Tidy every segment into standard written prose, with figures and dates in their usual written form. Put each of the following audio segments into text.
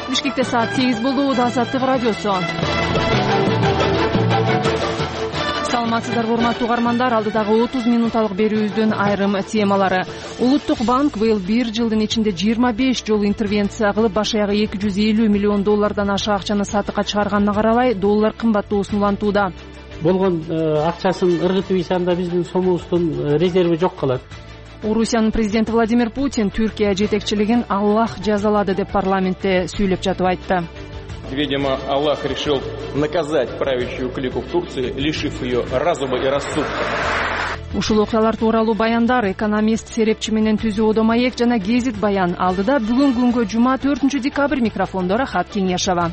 Бишкекте саат 8 болду. Азаттык радиосу. Саламатсыздарбы, урматтуу угармандар. Алдыдагы 30 минуталык берүүбүздүн айрым темалары. Улуттук банк быйыл 1 жылдын ичинде 25 жолу интервенция кылып, баш аягы 250 миллион доллардан аша акчаны сатыкка чыгарганына карабай, доллар кымбаттоосун улантууда. Болгон акчасын ыргытып ийсанда биздин сомубуздун резерви жок калат. Орусиянын президенти Владимир Путин Түркия жетекчилигин Аллах жазалады деп парламентте сүйлөп жатып айтты. Видимо, Аллах решил наказать правящую клику в Турции, лишив ее разума и рассудка. Ушул окуялар тууралуу баяндар экономист Серепчи менен Түзүү Одомаек жана Гезит Баян алдыда бүгүн күнгө жума 4 декабрь микрофондо Рахат Кеңешова.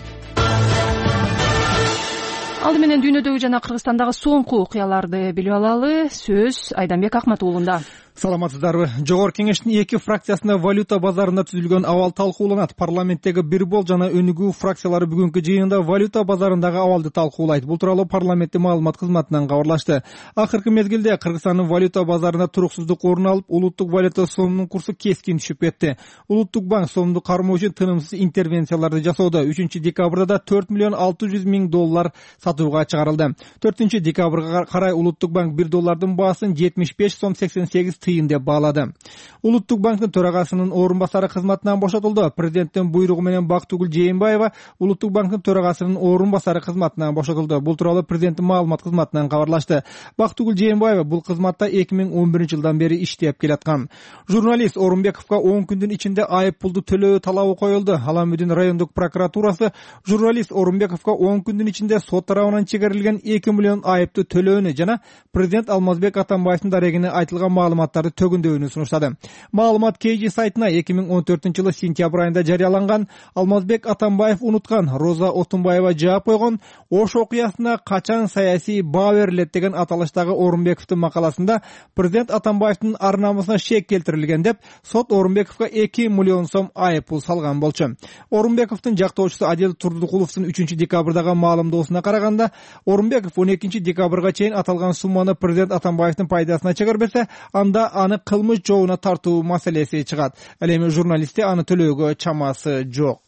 Алды менен дүйнөдөгү жана Кыргызстандагы соңку окуяларды билип алалы. Сөз Айданбек Акматуулунда. Саламатсыздарбы. Жогорку кеңештин 2 фракциясында валюта базарында түзүлгөн абал талкууланат. Парламенттеги Бирбол жана Өнүгүү фракциялары бүгүнкү жыйында валюта базарындагы абалды талкуулайт. Бул тууралуу парламенттин маалымат кызматынан кабарлашты. Акыркы мезгилде Кыргызстандын валюта базарында туруксуздук орун алып, улуттук валюта сомунун курсу кескин түшүп кетти. Улуттук банк сомду кармоо үчүн тынымсыз интервенцияларды жасоодо. 3 декабрда да 4 миллион 600 миң доллар сатууга чыгарылды. 4 декабрга карай улуттук банк 1 доллардын баасын 75 сом 88 тыйын деп баалады. Улуттук банктын төрагасынын орун басары кызматынан бошотулду. Президенттин буйругу менен Бактыгүл Жээнбаева улуттук банктын төрагасынын орун басары кызматынан бошотулду. Бул тууралуу президенттин маалымат кызматынан кабарлашты. Бактыгүл Жээнбаева бул кызматта 2011 жылдан бери иштеп келаткан. Журналист Орунбековго 10 күндүн ичинде айып пулду төлөө талабы коюлду. Аламүдүн райондук прокуратурасы журналист Орунбековго 10 күндүн ичинде сот тарабынан чегерилген 2 миллион айыпты төлөөнү жана президент Алмазбек Атамбаевдин дарегине айтылган маалыматтарды төгүндөөнү сунуштады. Маалымат KG сайтына 2014 сентябрь айында жарыяланган Алмазбек Атамбаев унуткан Роза Отунбаева жаап койгон Ош окуясына качан саясий баа берилет деген аталыштагы Орунбековдун макаласында президент Атамбаевдин ар-намысына шек келтирилген деп сот Орунбековго 2 миллион сом айып пул салган болчу. Орунбековдун жактоочусу Адил Турдукуловдун 3 декабрдагы маалымдоосуна караганда, Орунбеков 12 декабрга чейин аталган сумманы президент Атамбаевдин пайдасына чыгарбесе, анда аны кылмыш жообуна тартуу маселеси чыгат. Ал эми журналистте аны төлөөгө чамасы жок.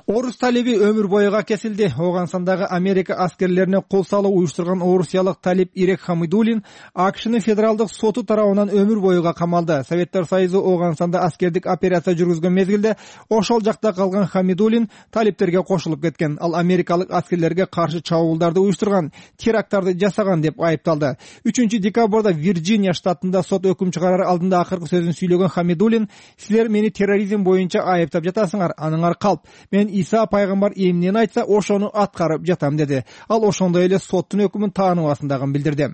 Орус талиби өмүр боюга кесилди. Оогансандагы Америка аскерлерине кол салуу уюштурган орусиялык талип Ирек Хамидуллин АКШнын федералдык соту тарабынан өмүр боюга камалды. Советтер Союзу Оогансанда аскердик операция жүргүзгөн мезгилде ошол жакта калган Хамидуллин талиптерге кошулуп кеткен. Ал америкалык аскерлерге каршы чабуулдарды уюштурган, теракттарды жасаган деп айыпталды. 3 декабрда Вирджиния штатында сот өкүм чыгарар алдында акыркы сөзүн сүйлөгөн Хамидуллин: "Силер мени терроризм боюнча айыптап жатасыңар, аныңар калп. Мен Иса пайгамбар эмнени айтса, ошону аткарып жатам" деди. Ал ошондой эле соттун өкүмүн тааныбасындагын билдирди.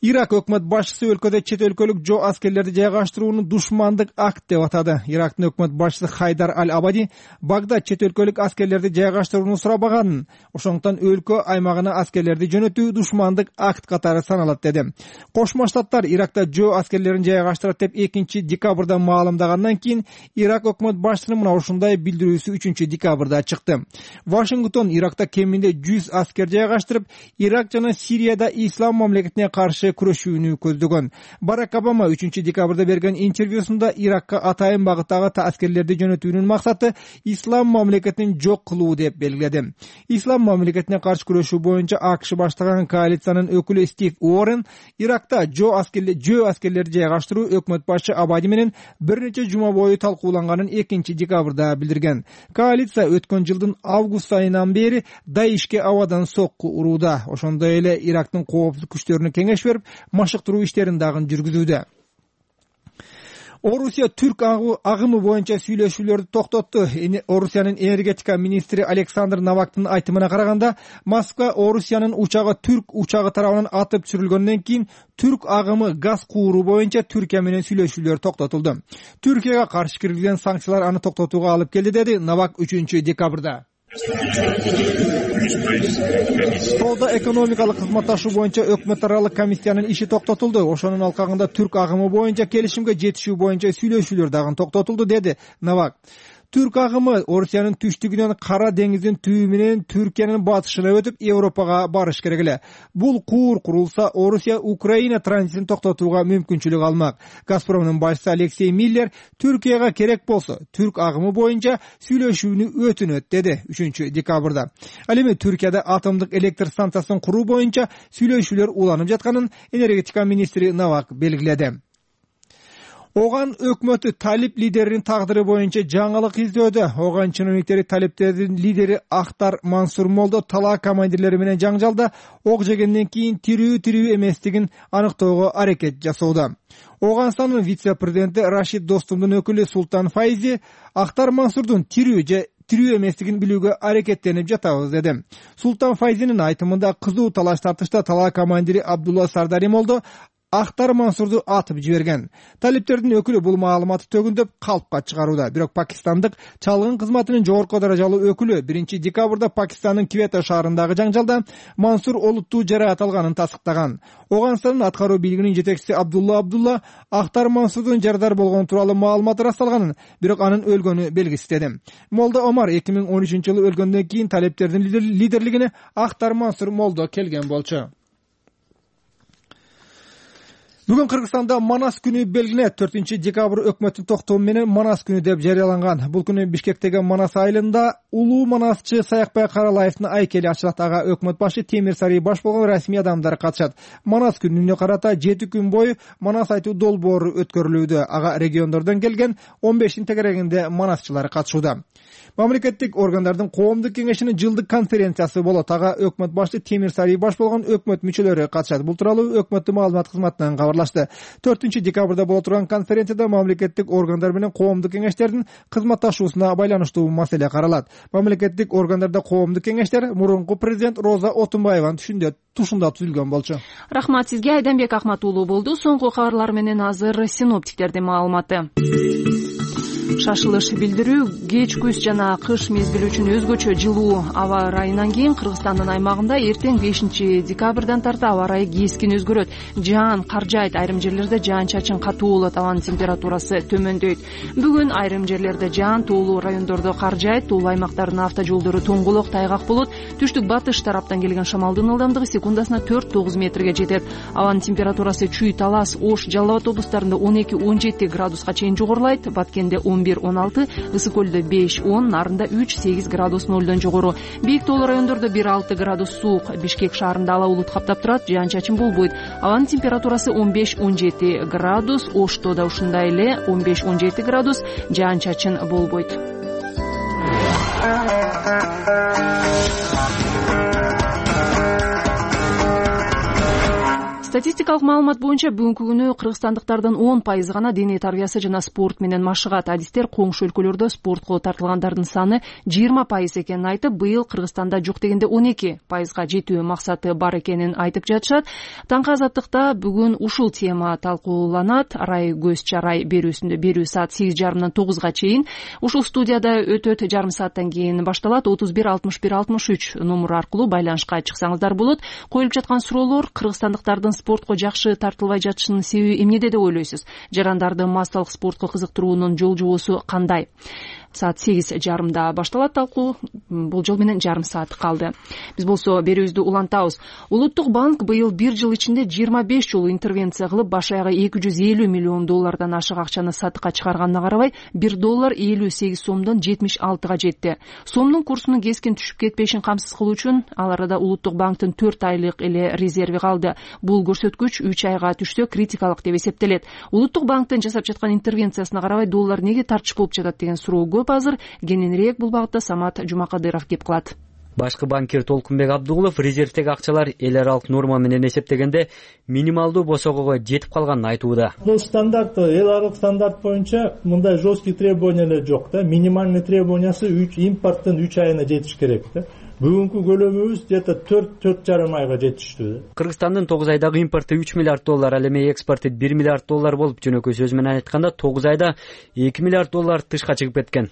Ирак өкмөт башчысы өлкөдө чет өлкөлүк жоо аскерлерди жайгаштырууну душмандык акт деп атады. Ирактын өкмөт башчысы Хайдар Аль-Абади Багдад чет өлкөлүк аскерлерди жайгаштырууну сурабаганын, ошондуктан өлкө аймагына аскерлерди жөнөтүү душмандык акт катары саналат деди. Кошмо Штаттар Иракта жөө аскерлерин жайгаштырат деп 2 декабрда маалымдагандан кийин Ирак өкмөт башчысынын мына ушундай билдирүүсү 3 декабрда чыкты. Вашингтон Иракта кеминде 100 аскер жайгаштырып, Ирак жана Сирияда ислам мамлекетине каршы күрөшүүнү көздөгөн. Барак Обама 3 декабрда берген интервьюсунда Иракка атайын багыттагы аскерлерди жөнөтүүнүн максаты ислам мамлекетин жок кылуу деп белгиледи. Ислам мамлекетине каршы күрөшүү боюнча АКШ баштаган коалициянын өкүлү Стив Уоррен Иракта жөө аскерлерди жайгаштыруу өкмөт башчы Абади менен бир нече жума бою талкууланганын 2 декабрда билдирген. Коалиция өткөн жылдын август айынан бери Даишке абадан сокку урууда. Ошондой эле Ирактын коопсуздук күчтөрүнө кеңеш берип, машыктыруу иштерин дагы жүргүзүүдө. Орусия түрк агымы боюнча сүйлөшүүлөрдү токтотту. Орусиянын энергетика министри Александр Новактын айтымына караганда, Москва Орусиянын учагы түрк учагы тарабынан атып түшүрүлгөндөн кийин түрк агымы газ кууруу боюнча Түркия менен сүйлөшүүлөр токтотулду. Түркияга каршы киргизген санкциялар аны токтотууга алып келди, деди Новак 3 декабрда. Соода экономикалык кызматташуу боюнча өкмөт аралык комиссиянын иши токтотулду. Ошонун алкагында түрк агымы боюнча келишимге жетишүү боюнча сүйлөшүүлөр дагы токтотулду, деди Новак. Түрк агымы Орусиянын түштүгүнөн Кара деңиздин түбү менен Түркиянын батышына өтүп Европага барыш керек эле. Бул куур курулса Орусия Украина транзитин токтотууга мүмкүнчүлүк алмак. Газпромдун башчысы Алексей Миллер Түркияга керек болсо түрк агымы боюнча сүйлөшүүнү өтүнөт деди 3 декабрда. Ал эми Түркияда атомдук электр станциясын куруу боюнча сүйлөшүүлөр уланып жатканын энергетика министри Навак белгиледи. Оган өкмөтү талип лидеринин тагдыры боюнча жаңылык издөөдө. Оган чиновниктери талиптердин лидери Ахтар Мансур Молдо талаа командирлери менен жаңжалда ок жегенден кийин тирүү эместигин аныктоого аракет жасоодо. Оганстандын вице-президенти Рашид Достумдун өкүлү Султан Файзи Ахтар Мансурдун тирүү эместигин билүүгө аракеттенип жатабыз деди. Султан Файзинин айтымында кызуу талаш тартышта талаа командири Абдулла Сардари Молдо Ахтар Мансурду атып жиберген. Талиптердин өкүлү бул маалыматты төгүндөп калпка чыгарууда. Бирок Пакистандык чалгын кызматынын жогорку даражалуу өкүлү 1 декабрда Пакистандын Квета шаарындагы жаңжалда Мансур олуттуу жараат алганын тасыктаган. Оганстандын аткаруу бийлигинин жетекчиси Абдулла Ахтар Мансурдун жарадар болгону тууралуу маалымат ырасталганын, бирок анын өлгөнү белгисиздеди. Молдо Омар 2013-жылы өлгөндөн кийин талиптердин лидерлигине Ахтар Мансур Молдо келген болчу. Бүгүн Кыргызстанда Манас күнү белгиленет. 4 декабрь өкмөттүн токтому менен Манас күнү деп жарыяланган. Бул күнү Бишкектеги Манас айылында улуу манасчы Саякбай Каралаевдин айкели ачылат. Ага өкмөт башы Темир Сарый баш болгон расмий адамдар катышат. Манас күнүнө карата 7 күн бою Манас айтуу долбоору өткөрүлүүдө. Ага региондордон келген 15 тегерегинде манасчылар катышууда. Мамлекеттик органдардын коомдук кеңешинин жылдык конференциясы болот. Ага өкмөт башы Темир Сарый баш болгон өкмөт мүчөлөрү катышат. Бул тууралуу өкмөттүн маалымат кызматынан кабарлашты. 4 декабрда боло турган конференцияда мамлекеттик органдар менен коомдук кеңештердин кызматташуусуна байланыштуу маселе каралат. Мамлекеттик органдарда коомдук кеңештер мурунку президент Роза Отунбаеванын тушунда түзүлгөн болчу. Рахмат сизге. Айданбек Ахмат уулу болду. Соңку кабарлар менен азыр синоптиктердин маалыматы. Шашылыш билдирүү кеч күз жана кыш мезгили үчүн өзгөчө жылуу аба ырайынан кийин Кыргызстандын аймагында эртең 5 декабрдан тарта аба ырайы кескин өзгөрөт. Жаан кар жаайт, айрым жерлерде жаан-чачын катуу болот, абанын температурасы төмөндөйт. Бүгүн айрым жерлерде жаан, тоолуу райондордо кар жаайт, тоолуу аймактардын автожолдору тоңголок, тайгак болот. Түштүк батыш тараптан келген шамалдын ылдамдыгы секундасына 4-9 метрге жетет. Абанын температурасы Чүй, Талас, Ош, Жалал Абад облустарында 12-17 градуска чейин жогорулайт. Баткенде 11-16, Ысык көлдө 5-10, Нарында 3-8 градус нолдон жогору. Бийик тоолуу райондордо 1-6 градус суук. Бишкек шаарында ала булут каптап турат, жаан-чачын болбойт. Абанын температурасы 15-17 градус, Ошто да ушундай эле 15-17 градус, жаан-чачын болбойт. Статистикалык маалымат боюнча бүгүнкү күнү кыргызстандыктардын 10% гана дене тарбиясы жана спорт менен машыгат. Адистер коңшу өлкөлөрдө спортко тартылгандардын саны 20% экенин айтып, быйыл Кыргызстанда жок дегенде 12%га жетүү максаты бар экенин айтып жатышат. Таңкы азаттыкта бүгүн ушул тема талкууланат. Арай көз чарай берүүсүндө берүү саат 8:30-дан 9-га чейин. Ушул студияда өтөт, жарым сааттан кийин башталат. 31 61 63 номер аркылуу байланышка чыксаңыздар болот. Коюлуп жаткан суроолор: кыргызстандыктардын спортко жакшы тартылбай жатышынын себеби эмнеде деп ойлойсуз? Жарандарды массалык спортко кызыктыруунун жол жобосу кандай? Саат 8:30-да башталат талкуу. Бул жол менен жарым саат калды. Биз болсо берүүбүздү улантабыз. Улуттук банк быйыл 1 жыл ичинде 25 жолу интервенция кылып, баш аягы 250 миллион доллардан ашык акчаны сатыкка чыгарганына карабай, $1 58 сомдон 76-га жетти. Сомдун курсунун кескин түшүп кетпешин камсыз кылуу үчүн ал арада Улуттук банктын 4 айлык эле резерви калды. Бул көрсөткүч 3 айга түшсө критикалык деп эсептелет. Улуттук банктын жасап жаткан интервенциясына карабай, доллар неге тартыш болуп жатат деген суроо көп азыр. Кененирээк бул багытта Самат Жумакадыров кеп кылат. Башкы банкир Толкунбек Абдугулов резервдеги акчалар эл аралык норма менен эсептегенде минималдуу босогого жетип калганын айтууда. Бул стандарт, эл аралык стандарт боюнча мындай жесткий требованиялар жок да. Минимальный требованиясы импорттун 3 айына жетиш керек да. бүгүнкү көлөмүбүз где то 4,5 айга жетиштүү. Кыргызстандын 9 айдагы импорту 3 миллиард доллар, ал эми экспорту 1 миллиард доллар болуп, жөнөкөй сөз менен айтканда 9 айда 2 миллиард доллар тышка чыгып кеткен.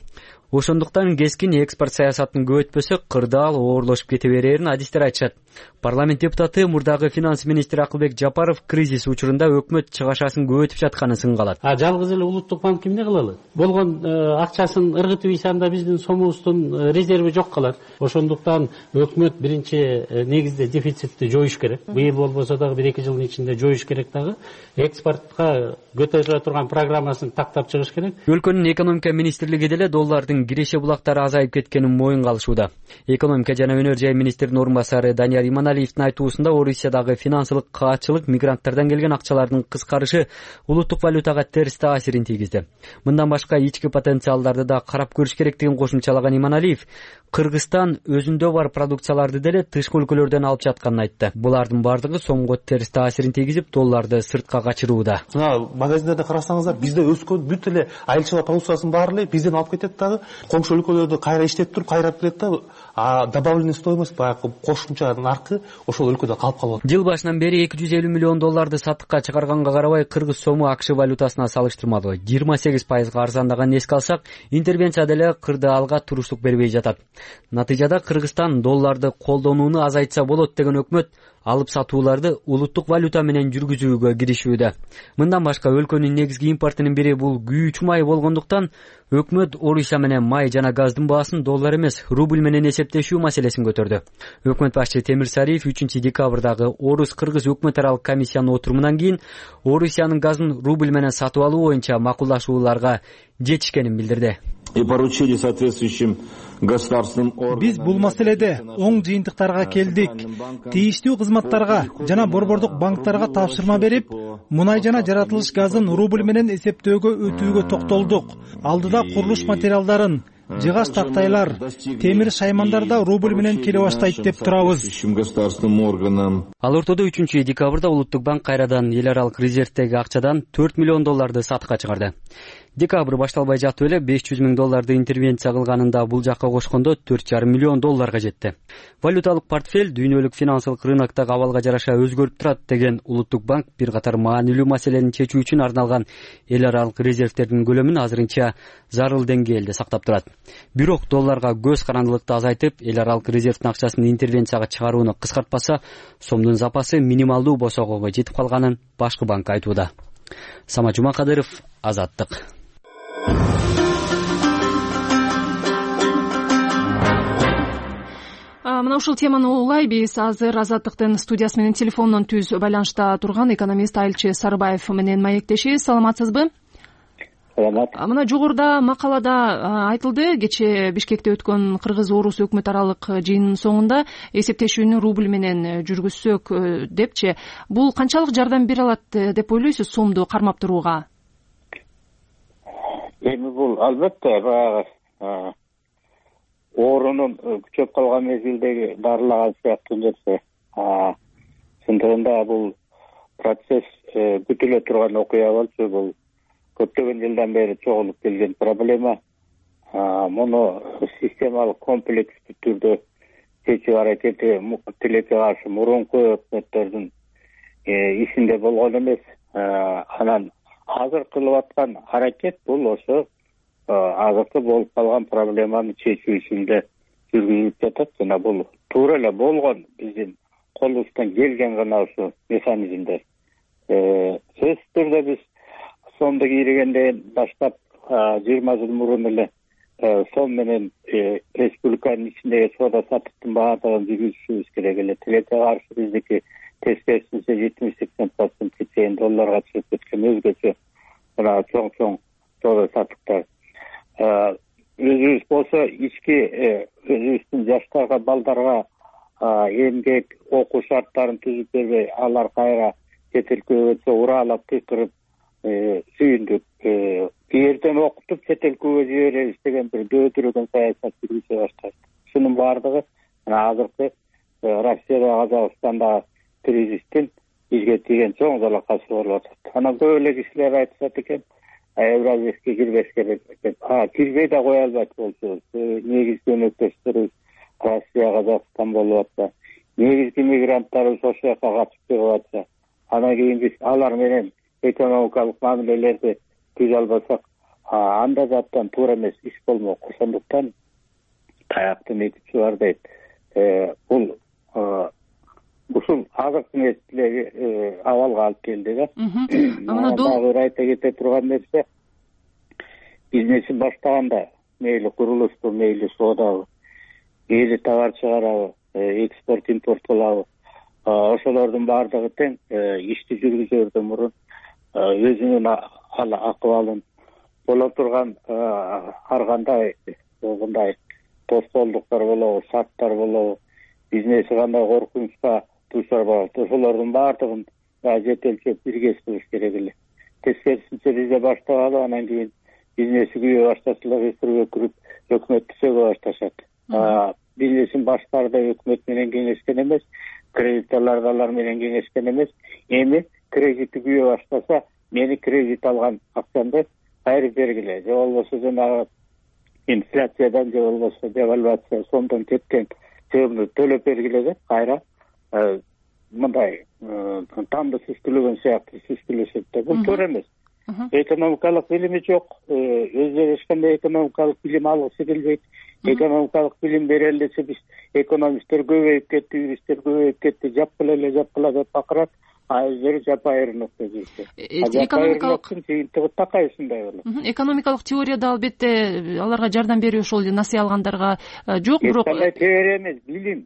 Ошондуктан кескин экспорт саясатын көп өтпөсө, кырдаал оорлошуп кете берерин адистер айтышат. Парламент депутаты, мурдагы финанс министри Акылбек Жапаров кризис учурунда өкмөт чыгашасын көбөйтүп жатканын сынгалат. Жалгыз эле улуттук банк эмне кылалы? Болгон акчасын ыргытып ийсанда биздин сомубуздун резерви жок калат. Ошондуктан өкмөт биринчи негизде дефицитти жоюш керек. Быйыл болбосо дагы 1-2 жылдын ичинде жоюш керек дагы. Экспортко көтөрүлө турган программасын тактап чыгыш керек. Өлкөнүн экономика министрлиги деле доллардын киреше булактары азайып кеткенин моюнга алышууда. Экономика жана өнөр жай министринин орун басары Данияр Иманалиевдин айтуусунда, Орусиядагы финансылык каатчылык, мигранттардан келген акчалардын кыскарышы улуттук валютага терс таасирин тийгизди. Мындан башка ички потенциалдарды да карап көрүш керектигин кошумчалаган Иманалиев, Кыргызстан өзүндө бар продукцияларды деле тышкы өлкөлөрдөн алып жатканын айтты. Булардын бардыгы сомго терс таасирин тийгизип, долларды сыртка качырууда. Магазиндерде карасаңыздар, бизде өскөн бүт эле айылчылык продукциясын баары эле бизден алып кетет дагы, коңшу өлкөлөрдө кайра иштеп туруп кайрап берет да, добавленный стоимость баягы кошумча наркы ошол өлкөдө калып калат. Жыл башынан бери 250 миллион долларды сатыкка чыгарганга карабай, кыргыз сому АКШ валютасына салыштырмалуу 28% арзандаганын эске алсак, интервенция деле кырдаалга туруштук бербей жатат. Натыйжада Кыргызстан долларды колдонууну азайтса болот деген өкмөт алып сатууларды улуттук валюта менен жүргүзүүгө киришүүдө. Мындан башка өлкөнүн негизги импортунун бири бул күйүүчү май болгондуктан, өкмөт Орусия менен май жана газдын баасын доллар эмес, рубль менен эсептешүү маселесин көтөрдү. Өкмөт башчы Темир Сариев 3 декабрдагы Орус-Кыргыз өкмөт аралык комиссиянын отурумунан кийин Орусиянын газын рубль менен сатып алуу боюнча макулдашууларга жетишкенин билдирди. И поручили соответствующим государственным органам. Биз бул маселеде оң жыйынтыктарга келдик. Тийиштүү кызматтарга жана борбордук банктарга тапшырма берип, мунай жана жаратылыш газын рубль менен эсептөөгө өтүүгө токтолдук. Алдыда курулуш материалдарын, жыгач тактайлар, темир шаймандар да рубль менен келе баштайт деп турабыз. Ал ортодо 3 декабрда Улуттук банк кайрадан эл аралык резервдеги акчадан 4 миллион долларды сатыкка чыгарды. Декабрь башталбай жатып эле 500 миң долларды интервенция кылганында бул жакка кошкондо 4,5 миллион долларга жетти. Валюталык портфель дүйнөлүк финансылык рыноктогу абалга жараша өзгөрүп турат деген Улуттук банк бир катар маанилүү маселени чечүү үчүн арналган эл аралык резервдердин көлөмүн азырынча зарыл деңгээлде сактап турат. Бирок долларга көз карандылыкты азайтып, эл аралык резервдин акчасын интервенцияга чыгарууну кыскартпаса, сомдун запасы минималдуу босогого жетип калганын башкы банк айтууда. Сама Жумакадыров, Азаттык. Мына ушул теманы улай биз азыр Азаттыктын студиясы менен телефондон түз байланышта турган экономист Айылчы Сарыбаев менен маектешиз. Саламатсызбы? Саламат. Мына жогоруда макалада айтылды, кечээ Бишкекте өткөн Кыргыз-Орус өкмөт аралык жыйынынын соңунда эсептешүүнү рубль менен жүргүзсөк депчи. Бул канчалык жардам бере алат деп ойлойсуз сомду кармап турууга? Эми бул албетте баягы оорунун күчөп калган мезгилдеги дарылаган сыяктуу нерсе. Чындыгында бул процесс күтүлө турган окуя болчу, бул көптөгөн жылдан бери чогулуп келген проблема. Муну системалык комплекстүү түрдө чечүү аракети тилекке каршы мурунку өкмөттөрдүн ишинде болгон эмес. Анан азыр кылып аткан аракет бул ошо азыркы болуп калган проблеманы чечүү үчүн жүргүзүлүп жатат. Жана бул туура эле болгон биздин колубуздан келген гана ушу механизмдер. Сөзсүз түрдө биз сомду кийрегенден баштап 20 жыл мурун эле сом менен республиканын ичиндеги соода саттыктын баардыгын жүргүзүшүбүз керек эле. Тилекке каршы биздики тескерисинче 70-80% чейин долларга чыгып кеткен өзгөчө мына чоң соода саттыктар. Өзүбүз болсо ички өзүбүздүн жаштарга, балдарга эмгек, окуу шарттарын түзүп бербей, алар кайра чет өлкөгө уралап кыйкырып сүйүндүк. Эртең окутуп чет өлкөгө жиберебиз деген бир дөөтүрөгөн саясат жүргүзө баштады. Шунун баардыгы азыркы Россияда, Казакстанда кризистин бизге тийген чоң залакасы болуп атат. Анан көп эле кишилер айтышат экен, Евразиякка кирбеш керек деп. Кирбей да кое албайт болчу. Негизги өнөктөштөрүбүз Россия, Казакстан болуп атса, негизги мигранттарыбыз ошол жака качып чыгып атса, анан кийин биз алар менен экономикалык мамилелерди түзө албасак, анда жаттан туура эмес иш болмок. Ошондуктан таяктын эки учу бар дейт. Бул ушул азыркы мезгилдеги абалга алып келди да. Дагы бир айта кете турган нерсе, бизнесин баштаганда мейли курулушту, мейли соодабы, мейли товар чыгарабы, экспорт импорт кылабы, ошолордун баардыгы тең ишти жүргүзөрдөн мурун өзүнүн акыбалын, боло турган ар кандай мындай тоскоолдуктар болобу, шарттар болобу, бизнеси кандай коркунучка дуушар болот, ошолордун баардыгын жетелчеп бирге кылыш керек эле. Тескерисинче бизде баштагалы, анан кийин бизнеси күйө баштаса эле өкүрүп өкмөттү сөгө башташат. Бизнесин башкары да өкмөт менен кеңешкен эмес, кредиторлор алар менен кеңешкен эмес. Эми кредитти күйө баштаса, мени кредит алган акчамды кайрып бергиле, же болбосо жанагы инфляциядан, же болбосо девальвация сомдон кеткен чыгымды төлөп бергиле деп кайра мындай тамды сүзгүлөгөн сыяктуу сүзгүлөшөт да. Бул туура эмес. Экономикалык билими жок, өздөрү эч кандай экономикалык билим алгысы келбейт. Экономикалык билим берели десе, биз экономисттер көбөйүп кетти, юристтер көбөйүп кетти, жапкыла деп бакырат, өздөрү жапайырынып жүрүшөт. Экономикалык жыйынтыгы такай ушундай болот. Экономикалык теорияда албетте аларга жардам берүү ошол насыя алгандарга жок, бирок кандай теория эмес, билим.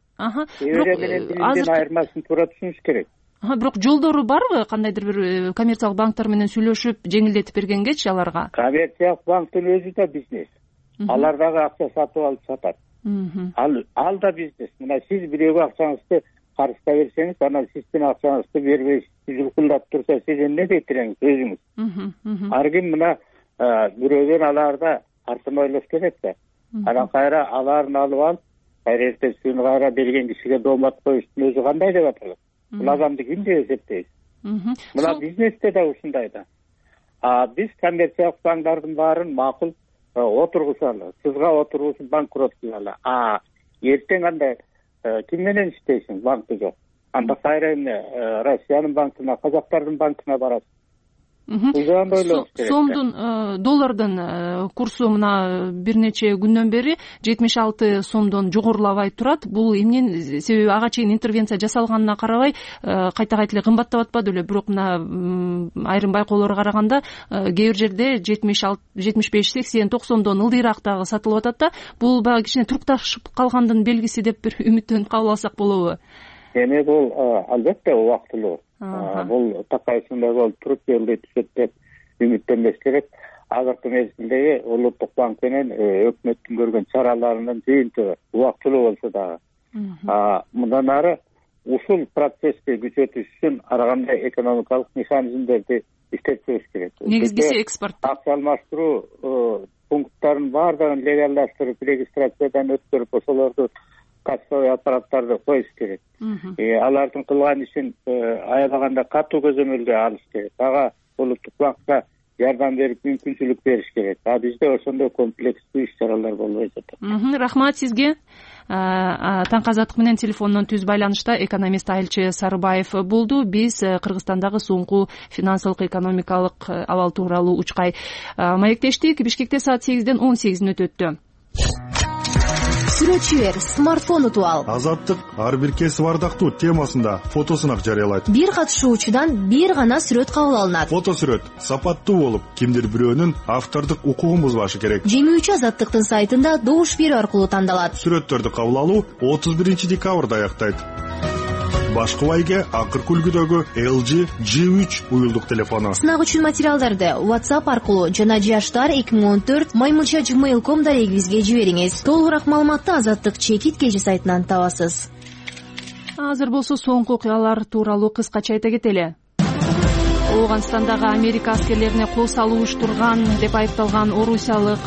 Теория менен билимдин айырмасын туура түшүнүш керек. Бирок жолдору барбы, кандайдыр бир коммерциялык банктар менен сүйлөшүп, жеңилдетип бергенгечи аларга? Коммерциялык банктын өзү да бизнес. Алар дагы акча сатып алып сатат. Ал да бизнес. Мына сиз бирөөгө акчаңызды карызда берсеңиз, анан сиздин акчаңызды бербей жылкылдап турса, сиз эмне дейт элеңиз өзүңүз? Ар ким мына бирөөдөн аларда артын ойлош керек да. Анан кайра аларын алып алып, кайра эртесин кайра берген кишиге доомат коюштун өзү кандай деп аталат? Бул адамды ким деп эсептейбиз? Мына бизнесте да ушундай да. Биз коммерциялык банктардын баарын макул отургузалы, сызга отургузуп банкрот кылалы. Эртең андай ким менен иштейсиң? Банкы жок. Анда кайра эмне Россиянын банкына, казактардын банкына барасың. Сомдун, доллардын курсу мына бир нече күндөн бери 76 сомдон жогорулабай турат. Бул эмнен себеби? Ага чейин интервенция жасалганына карабай кайта эле кымбаттап атпады беле? Бирок мына айрым байкоолорго караганда кээ бир жерде 76, 75, 80, 90дон ылдыйраак дагы сатылып атат да. Бул баягы кичине турукташып калгандын белгиси деп бир үмүттөнүп кабыл алсак болобу? Эми бул албетте убактылуу. Бул такайсындай болуп туруп жолдой түшөт деп үмүттөнбөш керек. Азыркы мезгилдеги Улуттук банк менен өкмөттүн көргөн чараларынын жыйынтыгы убактылуу болсо дагы. Мындан ары ушул процессти күчөтүш үчүн ар кандай экономикалык механизмдерди иштеп чыгыш керек. Негизгиси экспорт. Акча алмаштыруу пункттарын баардыгын легалдаштырып, регистрациядан өткөрүп, ошолорду кассовый аппараттарды коюш керек. Алардын кылган ишин аябаганда катуу көзөмөлгө алыш керек. Ага Улуттук банкка жардам берип, мүмкүнчүлүк бериш керек. Бизде ошондой комплекстүү иш-чаралар болбой жатат. Рахмат сизге. Таңкы Азаттык менен телефондон түз байланышта экономист Айылчы Сарыбаев болду. Биз Кыргызстандагы соңку финансылык экономикалык абал тууралуу учкай маектештик. Бишкекте саат 8ден 18 өтөттү. Сүрөтчү бер, смартфон утуп ал. Азаттык ар бир кесип ардактуу темасында фотосунак жарыялайт. Бир катышуучудан бир гана сүрөт кабыл алынат. Фотосүрөт сапаттуу болуп, кимдир бирөөнүн автордук укугун бузбашы керек. Жеңүүчү Азаттыктын сайтында добуш берүү аркылуу тандалат. Сүрөттөрдү кабыл алуу 31 декабрда аяктайт. Башкыбайга акыркы үлгүдөгү LG G3 уюлдук телефону. Сынак үчүн материалдарды WhatsApp аркылуу жана jashtar2014@gmail.com дарегибизге жибериңиз. Толугураак маалыматты Азаттык чекит кежи сайтынан табасыз. Азыр болсо соңку окуялар тууралуу кыскача айта кетели. Ооганстандагы Америка аскерлерине кол салуу уюштурган деп айыпталган орусиялык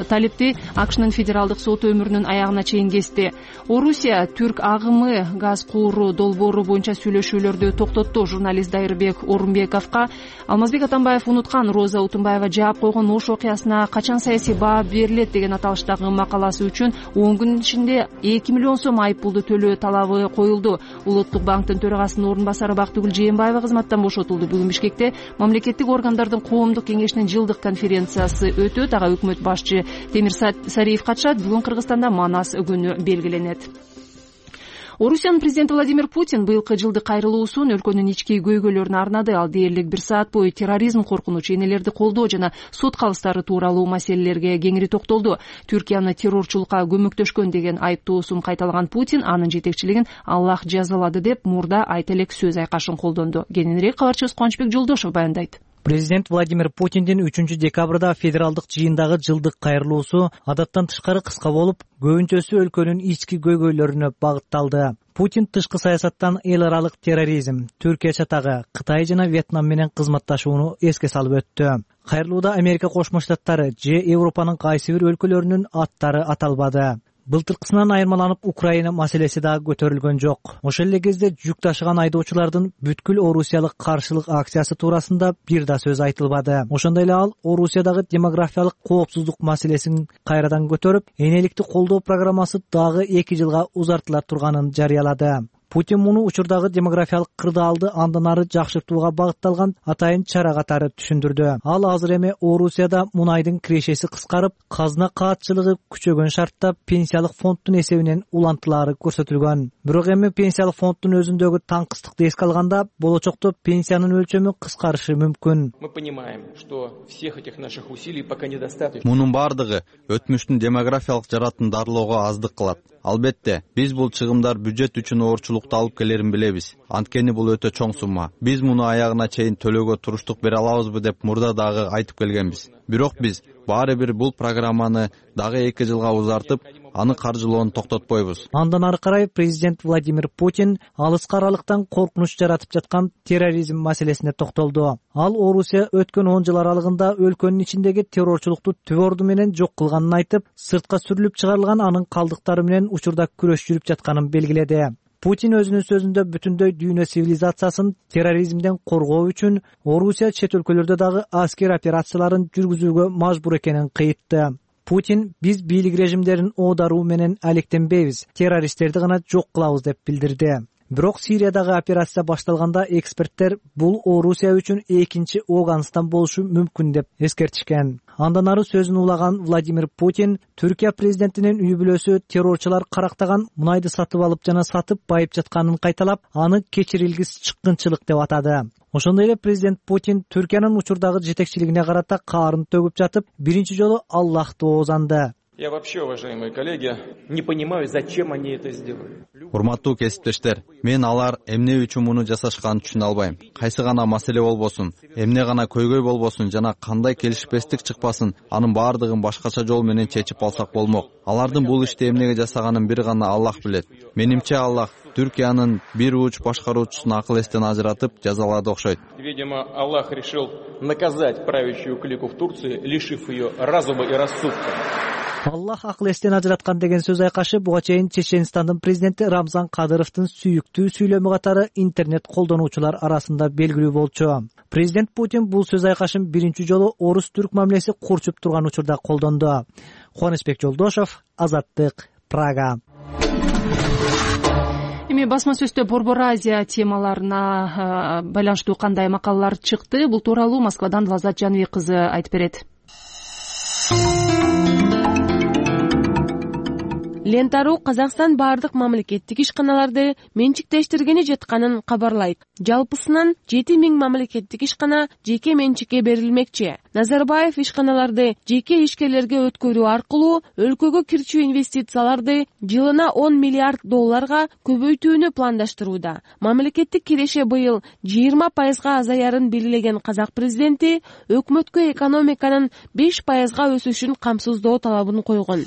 талипти АКШнын федералдык соту өмүрүнүн аягына чейин кести. Орусия түрк агымы газ кууру долбоору боюнча сүйлөшүүлөрдү токтотту. Журналист Дайырбек Орунбековго Алмазбек Атамбаев унуткан Роза Утунбаева жаап койгон Ош окуясына качан саясий баа берилет деген аталыштагы макаласы үчүн 10 күн ичинде 2 миллион сом айып пулду төлөө талабы коюлду. Улуттук банктын төрагасынын орун басары Бактыгүл Жээнбаева кызматтан бошотулду. Бүгүн Бишкекте мамлекеттик органдардын коомдук кеңешинин жылдык конференциясы өтөт. Ага өкмөт башчы Темир Сариев катышат. Бүгүн Кыргызстанда Манас күнү белгиленет. Орусиянын президенти Владимир Путин быйылкы жылдык кайрылуусун өлкөнүн ички көйгөйлөрүнө арнады. Ал дээрлик 1 саат бою терроризм коркунучу, энелерди колдоо жана сот калыстары тууралуу маселелерге кеңири токтолду. Түркияны террорчулукка көмөктөшкөн деген айыптоосун кайталаган Путин анын жетекчилигин Аллах жазалады деп мурда айта элек сөз айкашын колдонду. Кененирээк кабарчыбыз Кубанычбек Жолдошов баяндайт. Президент Владимир Путиндин 3-декабрда федералдык жыйындагы жылдык кайрылуусу адаттан тышкары кыска болуп, көбүнчөсү өлкөнүн ички көйгөйлөрүнө багытталды. Путин тышкы саясаттан эл аралык терроризм, Түркия чатагы, Кытай жана Вьетнам менен кызматташууну эске салып өттү. Кайрылууда Америка Кошмо Штаттары же Европанын кайсы бир өлкөлөрүнүн аттары аталбады. Былтыркысынан айырмаланып Украина маселеси да көтөрүлгөн жок. Ошол эле кезде жүк ташыган айдоочулардын бүткүл орусиялык каршылык акциясы туурасында бир да сөз айтылбады. Ошондой эле ал Орусиядагы демографиялык коопсуздук маселесин кайрадан көтөрүп, энеликти колдоо программасы дагы 2 жылга узартыла турганын жарыялады. Путин муну учурдагы демографиялык кырдаалды андан ары жакшыртууга багытталган атайын чара катары түшүндүрдү. Ал азыр эми Орусияда мунайдын кирешеси кыскарып, казына каатчылыгы күчөгөн шартта пенсиялык фонддун эсебинен улантылаары көрсөтүлгөн. Бирок эми пенсиялык фонддун өзүндөгү таңкыстыкты эске алганда, болочокто пенсиянын өлчөмү кыскарышы мүмкүн. Мы понимаем, что всех этих наших усилий пока недостаточно. Мунун бардыгы өтмүштүн демографиялык жаратын дарылоого аздык кылат. Албетте, биз бул чыгымдар бюджет үчүн оорчулукту алып келерин билебиз. Анткени бул өтө чоң сумма. Биз муну аягына чейин төлөөгө туруштук бере алабызбы деп мурда дагы айтып келгенбиз. Бирок биз баары бир бул программаны дагы 2 жылга узартып, аны каржылоону токтотпойбуз. Андан ары карай президент Владимир Путин алыскы аралыктан коркунуч жаратып жаткан терроризм маселесине токтолду. Ал Орусия өткөн 10 жыл аралыгында өлкөнүн ичиндеги террорчулукту түбө орду менен жок кылганын айтып, сыртка сүрүлүп чыгарылган анын калдыктары менен учурда күрөш жүрүп жатканын белгиледи. Путин өзүнүн сөзүндө бүтүндөй дүйнө цивилизациясын терроризмден коргоо үчүн Орусия чет өлкөлөрдө дагы аскер операцияларын жүргүзүүгө мажбур экенин кыйтты. Путин биз бийлик режимдерин оодаруу менен алектенбейбиз, террористтерди гана жок кылабыз деп билдирди. Бирок Сириядагы операция башталганда эксперттер бул Орусия үчүн экинчи Ооганстан болушу мүмкүн деп эскертишкен. Андан ары сөзүн улаган Владимир Путин Түркия президентинин үй бүлөсү террорчулар карактаган мунайды сатып алып жана сатып байып жатканын кайталап, аны кечирилгис чыккынчылык деп атады. Ошондой эле президент Путин Түркиянын учурдагы жетекчилигине карата каарын төгүп жатып, биринчи жолу Аллахты оозанды. Я вообще, уважаемые коллеги, не понимаю, зачем они это сделали. Урматтуу кесиптештер, мен алар эмне үчүн муну жасашканын түшүнө албайм. Кайсы гана маселе болбосун, эмне гана көйгөй болбосун жана кандай келишпестик чыкпасын, анын баардыгын башкача жол менен чечип алсак болмок. Алардын бул ишти эмнеге жасаганын бир гана Аллах билет. Менимче Аллах Түркиянын бир уч башкаруучусун акыл эстен ажыратып жазалады окшойт. Видимо, Аллах решил наказать правящую клику в Турции, лишив ее разума и рассудка. Аллах акыл эстен ажыраткан деген сөз айкашы буга чейин Чеченстандын президенти Рамзан Кадыровдун сүйүктүү сүйлөмү катары интернет колдонуучулар арасында белгилүү болчу. Президент Путин бул сөз айкашын биринчи жолу орус-түрк мамилеси курчуп турган учурда колдонду. Кубанычбек Жолдошов, Азаттык, Прага. Эми басма сөздө Борбор Азия темаларына байланыштуу кандай макалалар чыкты? Бул тууралуу Москвадан Лаззат Жаныбек кызы айтып берет. Лента.ру Казакстан бардык мамлекеттик ишканаларды менчиктештиргени жатканын кабарлайт. Жалпысынан 7000 мамлекеттик ишкана жеке менчикке берилмекчи. Назарбаев ишканаларды жеке ишкерлерге өткөрүү аркылуу өлкөгө кирчүү инвестицияларды жылына $10 миллиард көбөйтүүнү пландаштырууда. Мамлекеттик киреше быйыл 20%га азаярын белгилеген Казак президенти өкмөткө экономиканын 5%га өсүшүн камсыздоо талабын койгон.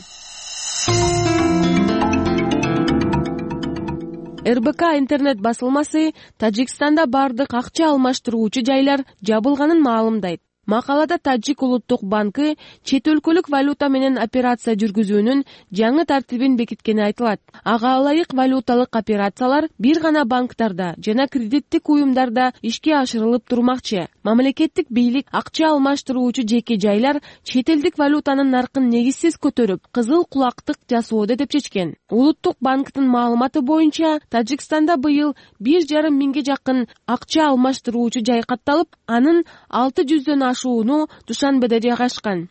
РБК интернет басылмасы Тажикстанда бардык акча алмаштыруучу жайлар жабылганын маалымдайт. Макалада Тажик улуттук банкы чет өлкөлүк валюта менен операция жүргүзүүнүн жаңы тартибин бекиткени айтылат. Ага ылайык валюталык операциялар бир гана банктарда жана кредиттик уюмдарда ишке ашырылып турмакчы. Мамлекеттик бийлик акча алмаштыруучу жеке жайлар чет элдик валютанын наркын негизсиз көтөрүп, кызыл кулактык жасоодо деп чечкен. Улуттук банктын маалыматы боюнча, Тажикстанда быйыл 1,5 миңге жакын акча алмаштыруучу жай катталып, анын 600дөн ашууну Душанбеде жайгашкан.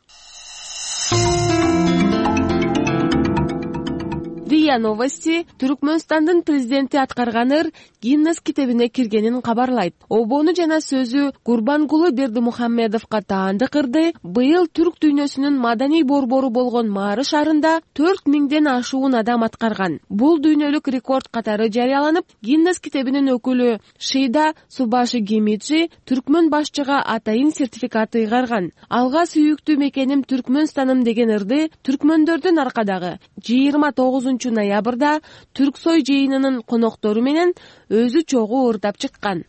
РИА Новости Түркмөнстандын президенти аткарган ыр Гиннес китебине киргенин кабарлайт. Обону жана сөзү Курбангулы Бердимухаммедовго таандык ырды быйыл түрк дүйнөсүнүн маданий борбору болгон Маары шаарында 4 миңден ашуун адам аткарган. Бул дүйнөлүк рекорд катары жарыяланып, Гиннес китебинин өкүлү Шейда Субаши Гемиджи түркмөн башчыга атайын сертификат ыйгарган. Алга сүйүктүү мекеним Түркмөнстаным деген ырды түркмөндөрдүн аркадагы 29 ноябрда Түрксой жыйынынын коноктору менен өзү чогуу ырдап чыккан.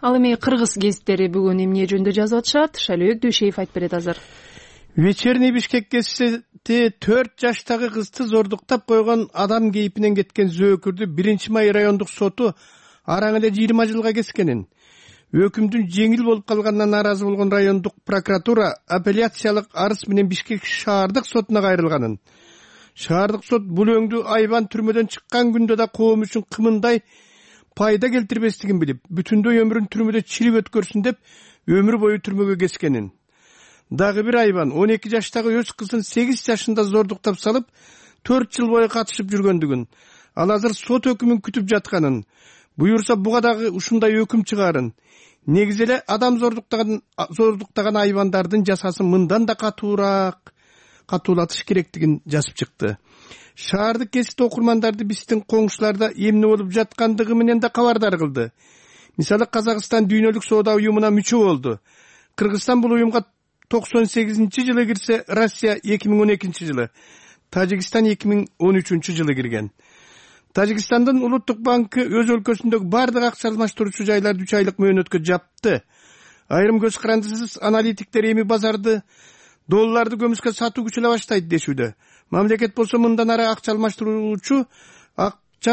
Ал эми кыргыз гезиттери бүгүн эмне жөнүндө жазып атышат? Шалыбек Дүйшеев айтып берет азыр. Вечерний Бишкек гезити 4 жаштагы кызды зордуктап койгон адам кейпинен кеткен зөөкүрдү 1-май райондук соту араң эле 20 жылга кескенин, өкүмдүн жеңил болуп калганына нааразы болгон райондук прокуратура апелляциялык арыз менен Бишкек шаардык сотуна кайрылганын, шаардык сот бул өңдү айбан түрмөдөн чыккан күндө да коом үчүн кымындай пайда келтирбестигин билип, бүтүндөй өмүрүн түрмөдө чирип өткөрсүн деп өмүр бою түрмөгө кескенин. Дагы бир айбан 12 жаштагы өз кызын 8 жашында зордуктап салып, 4 жыл бою катышып жүргөндүгүн, ал азыр сот өкүмүн күтүп жатканын, буюрса буга дагы ушундай өкүм чыгарын, негизи эле адам зордуктаган айбандардын жазасын мындан да катуулатыш керектигин жазып чыкты. Шаардык гезит окурмандарды биздин коңшуларда эмне болуп жаткандыгы менен да кабардар кылды. Мисалы, Казакстан дүйнөлүк соода уюмуна мүчө болду. Кыргызстан бул уюмга 98-жылы кирсе, Россия 2012 жылы, Тажикстан 2013 жылы кирген. Тажикстандын улуттук банкы өз өлкөсүндөгү бардык акча алмаштыруучу жайларды 3 айлык мөөнөткө жапты. Айрым көз карандысыз аналитиктер эми базарды долларды көмүскө сатуу күчөлө баштайт дешүүдө. Мамлекет болсо мындан ары акча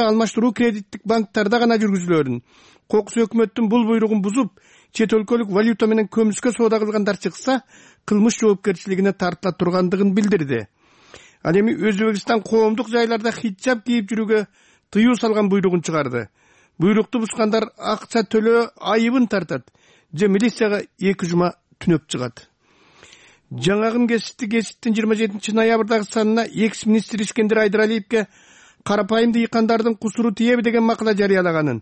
алмаштыруу кредиттик банктарда гана жүргүзүлөрүн. Кокус өкмөттүн бул буйругун бузуп, чет өлкөлүк валюта менен көмүскө соода кылгандар чыкса, кылмыш жоопкерчилигине тартыла тургандыгын билдирди. Ал эми Өзбекстан коомдук жайларда хиджаб кийип жүрүүгө тыюу салган буйругун чыгарды. Буйрукту бузгандар акча төлөө айыбын тартат же милицияга 2 жума түнөп чыгат. Жаңагым гезиттин 27 ноябрдагы санына экс-министр Искендер Айдаралиевге карапайым дыйкандардын кусуру тиеби деген макала жарыялаганын,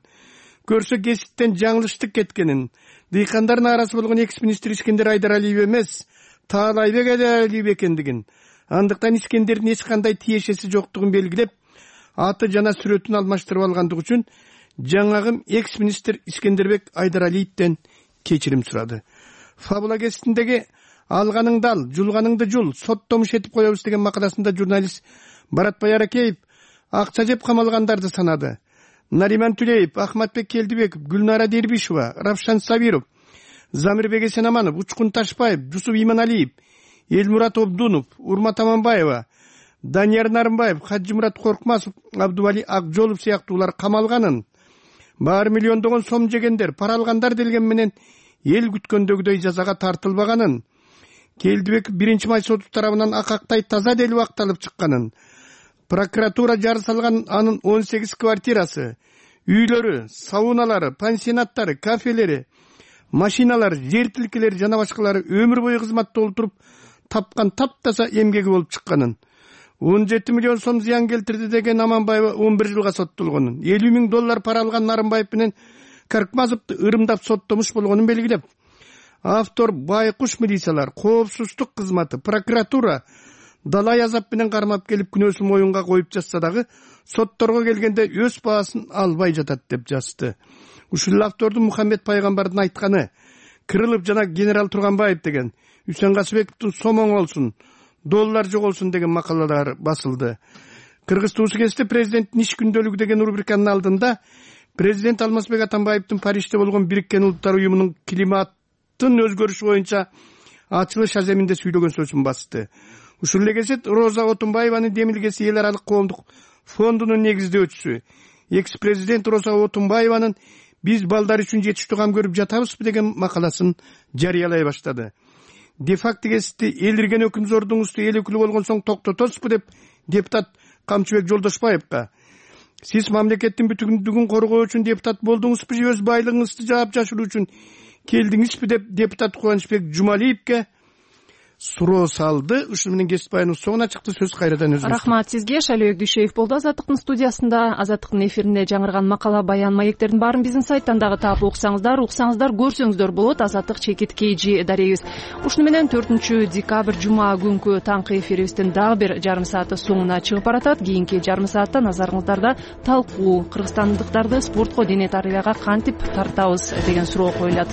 көрсө гезиттен жаңылыштык кеткенин, дыйкандар нааразы болгон экс-министр Искендер Айдаралиев эмес, Таалайбек Айдаралиев экендигин, андыктан Искендердин эч кандай тиешеси жоктугун белгилеп, аты жана сүрөтүн алмаштырып алгандыгы үчүн жаңагым экс-министр Искендербек Айдаралиевден кечирим сурады. Фабула гезитиндеги алганыңды ал, жулганыңды жул, соттомуш этип коебуз деген макаласында журналист Баратбай Аракеев акча жеп камалгандарды санады. Нариман Түлеев, Ахматбек Келдибеков, Гүлнара Дербишева, Равшан Сабиров, Замирбек Эсенаманов, Учкун Ташпаев, Жусуп Иманалиев, Элмурат Обдунов, Урмат Аманбаева, Данияр Нарымбаев, Хаджимурат Коркмасов, Абдували Акжолов сыяктуулар камалганын, баары миллиондогон сом жегендер, пара алгандар делген менен эл күткөндөгүдөй жазага тартылбаганын, Келдибек 1-май соту тарабынан акактай таза делип акталып чыкканын, прокуратура жары салган анын 18 квартирасы, үйлөрү, сауналары, пансионаттары, кафелери, машиналары, жер тилкелери жана башкалары өмүр бою кызматта олтуруп тапкан таптаза эмгеги болуп чыкканын, 17 миллион сом зыян келтирди деген Аманбаева 11 жылга соттолгонун, 50 миң доллар пара алган Нарымбаев менен Каркмазовду ырымдап соттомуш болгонун белгилеп, автор байкуш милициялар, коопсуздук кызматы, прокуратура далай азап менен кармап келип күнөөсүн моюнга коюп жатса дагы сотторго келгенде өз баасын албай жатат деп жазды. Ушул автордун Мухаммед пайгамбардын айтканы, Кырылов жана генерал Турганбаев деген, Үсен Касыбековдун сомоң болсун, доллар жоголсун деген макалалар басылды. Кыргыз туусу кезде президенттин иш күндөлүгү деген рубриканын алдында президент Алмазбек Атамбаевдин Парижде болгон Бириккен Улуттар уюмунун климаттын өзгөрүшү боюнча ачылыш аземинде сүйлөгөн сөзүн басты. Ушул эле кезет Роза Отунбаеванын демилгеси эл аралык коомдук фондунун негиздөөчүсү экс-президент Роза Отунбаеванын биз балдар үчүн жетиштүү кам көрүп жатабызбы деген макаласын жарыялай баштады. Де-факто кесипти элирген өкүмзордун усту эл өкүлү болгон соң токтотосузбу деп депутат Камчыбек Жолдошбаевка: сиз мамлекеттин бүтүндүгүн коргоо үчүн депутат болдуңузбу же өз байлыгыңызды жаап жашыруу үчүн келдиңизби деп депутат Кубанычбек Жумалиевке суроо салды. Ушуну менен кесип баяныбыз соңуна чыкты. Сөз кайрадан өзүңүздө. Рахмат сизге. Шалибек Дүйшөев болду Азаттыктын студиясында. Азаттыктын эфирине жаңырган макала, баян, маектердин баарын биздин сайттан дагы таап уксаңыздар, көрсөңүздөр болот. Азаттык чекит KG дарегибиз. Ушуну менен 4 декабрь жума күнкү таңкы эфирибиздин дагы бир жарым сааты соңуна чыгып баратат. Кийинки жарым саатта назарыңыздарда талкуу, кыргызстандыктарды спортко, дене тарбияга кантип тартабыз деген суроо коюлат.